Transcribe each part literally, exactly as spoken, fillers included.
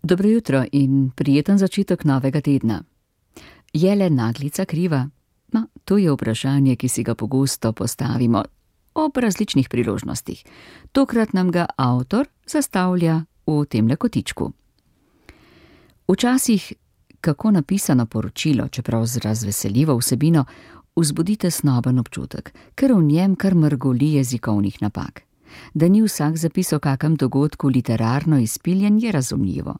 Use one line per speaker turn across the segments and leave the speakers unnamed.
Dobro jutro in prijeten začetek novega tedna. Je le naglica kriva? Ma, to je vprašanje, ki si ga pogosto postavimo ob različnih priložnostih. Tokrat nam ga avtor zastavlja v temle kotičku. Včasih, kako napisano poročilo, čeprav z razveseljivo vsebino, vzbudi tesnoben občutek, ker v njem kar mrgoli jezikovnih napak. Da ni vsak zapis o kakem dogodku literarno izpiljen, je razumljivo,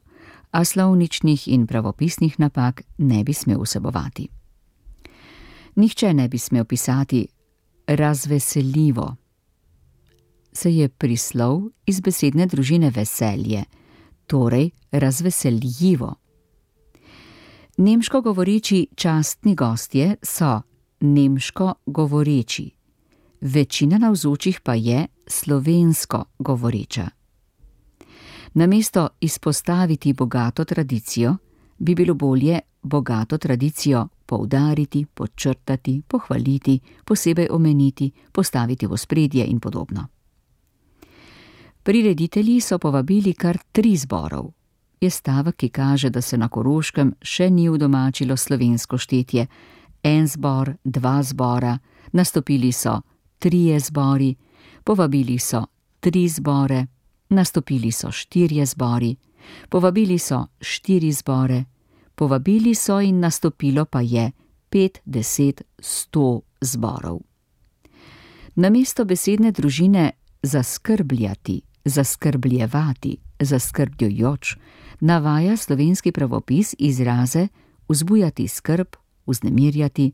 a slovničnih in pravopisnih napak ne bi smel vsebovati. Nihče ne bi smel pisati razveseljivo. Se je prislov iz besedne družine veselje, torej razveseljivo. Nemško govoreči častni gostje so nemško govoreči, večina navzočih pa je slovensko govoreča. Namesto izpostaviti bogato tradicijo, bi bilo bolje bogato tradicijo poudariti, podčrtati, pohvaliti, posebej omeniti, postaviti v ospredje in podobno. Prireditelji so povabili kar tri zborov. Je stavek, ki kaže, da se na Koroškem še ni udomačilo slovensko štetje. En zbor, dva zbora, nastopili so trije zbori, povabili so tri zbore, nastopili so štirje zbori, povabili so štiri zbore, povabili so in nastopilo pa je pet, deset, sto zborov. Namesto besedne družine zaskrbljati, zaskrbljevati, zaskrbljujoč, navaja slovenski pravopis izraze vzbujati skrb, vznemirjati,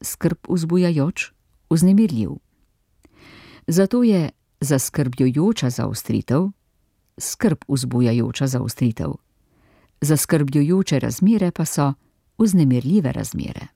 skrb vzbujajoč, vznemirljiv. Zato je zaskrbljujoča zaostritev, skrb vzbujajoča zaostritev. Zaskrbljujoče razmere pa so vznemirljive razmere.